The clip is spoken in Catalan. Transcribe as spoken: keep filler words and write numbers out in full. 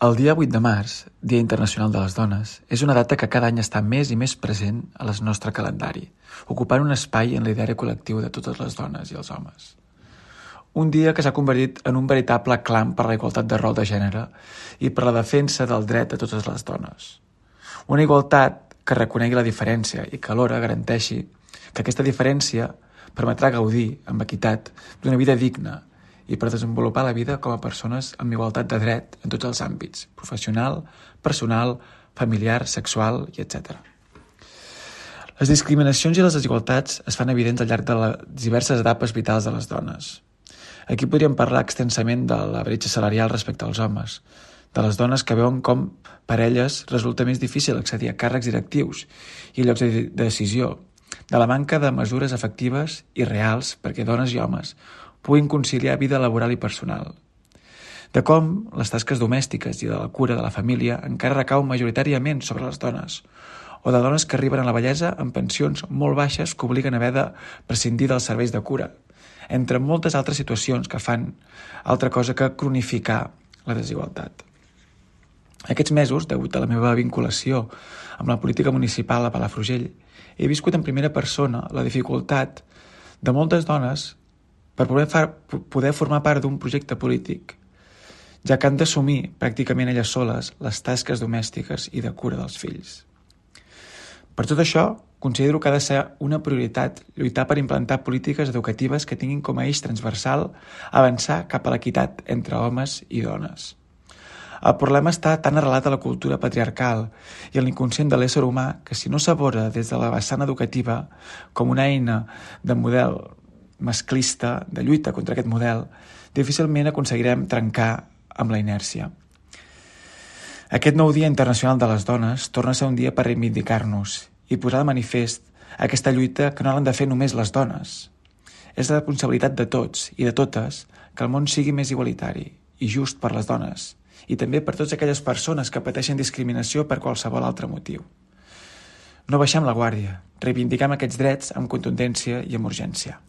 El dia vuit de març, Dia Internacional de les Dones, és una data que cada any està més i més present al nostre calendari, ocupant un espai en l'ideari col·lectiu de totes les dones i els homes. Un dia que s'ha convertit en un veritable clam per la igualtat de rol de gènere i per la defensa del dret de totes les dones. Una igualtat que reconegui la diferència i que alhora garanteixi que aquesta diferència permetrà gaudir, amb equitat, d'una vida digna i per desenvolupar la vida com a persones amb igualtat de dret en tots els àmbits, professional, personal, familiar, sexual i etcètera. Les discriminacions i les desigualtats es fan evidents al llarg de les diverses etapes vitals de les dones. Aquí podríem parlar extensament de la bretxa salarial respecte als homes, de les dones que veuen com per elles resulta més difícil accedir a càrrecs directius i llocs de decisió, de la manca de mesures efectives i reals perquè dones i homes puguin conciliar vida laboral i personal, de com les tasques domèstiques i de la cura de la família encara recau majoritàriament sobre les dones, o de dones que arriben a la vellesa amb pensions molt baixes que obliguen a haver de prescindir dels serveis de cura, entre moltes altres situacions que fan altra cosa que cronificar la desigualtat. Aquests mesos, degut a la meva vinculació amb la política municipal a Palafrugell, he viscut en primera persona la dificultat de moltes dones per poder, far, poder formar part d'un projecte polític, ja que han d'assumir pràcticament elles soles les tasques domèstiques i de cura dels fills. Per tot això, considero que ha de ser una prioritat lluitar per implantar polítiques educatives que tinguin com a eix transversal avançar cap a l'equitat entre homes i dones. El problema està tan arrelat a la cultura patriarcal i en l'inconscient de l'ésser humà que si no s'aborda des de la vessant educativa com una eina de model masclista, de lluita contra aquest model, difícilment aconseguirem trencar amb la inèrcia. Aquest nou Dia Internacional de les Dones torna a ser un dia per reivindicar-nos i posar de manifest aquesta lluita que no l'han de fer només les dones. És la responsabilitat de tots i de totes que el món sigui més igualitari i just per les dones i també per totes aquelles persones que pateixen discriminació per qualsevol altre motiu. No baixem la guàrdia, reivindiquem aquests drets amb contundència i amb urgència.